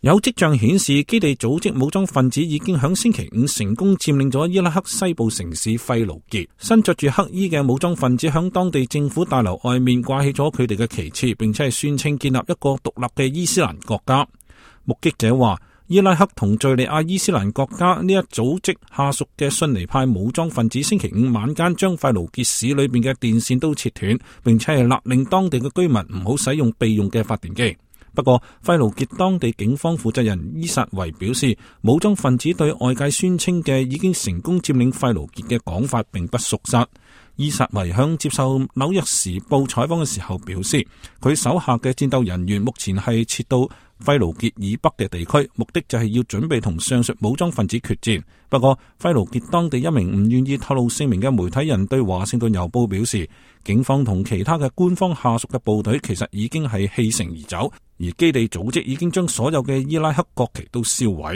有跡象顯示，基地組織武裝分子已經響星期五成功佔領咗伊拉克西部城市費盧傑。身着住黑衣嘅武裝分子響當地政府大樓外面掛起咗佢哋嘅旗幟，並且係宣稱建立一個獨立嘅伊斯蘭國家。目擊者話，伊拉克同敘利亞伊斯蘭國家呢一組織下屬嘅遜尼派武裝分子星期五晚間將費盧傑市裏邊嘅電線都切斷，並且係勒令當地嘅居民唔好使用備用嘅發電機。不過，費盧傑當地警方負責人伊薩維表示，武裝分子對外界宣稱嘅已經成功佔領費盧傑嘅講法並不屬實。伊薩維向接受紐約時報採訪嘅時候表示，佢手下嘅戰鬥人員目前係撤到費盧傑以北嘅地區，目的就係要準備同上述武裝分子決戰。不過，費盧傑當地一名唔願意透露姓名嘅媒體人對華盛頓郵報表示，警方同其他嘅官方下屬嘅部隊其實已經係棄城而走，而基地組織已經將所有嘅伊拉克國旗都燒毀。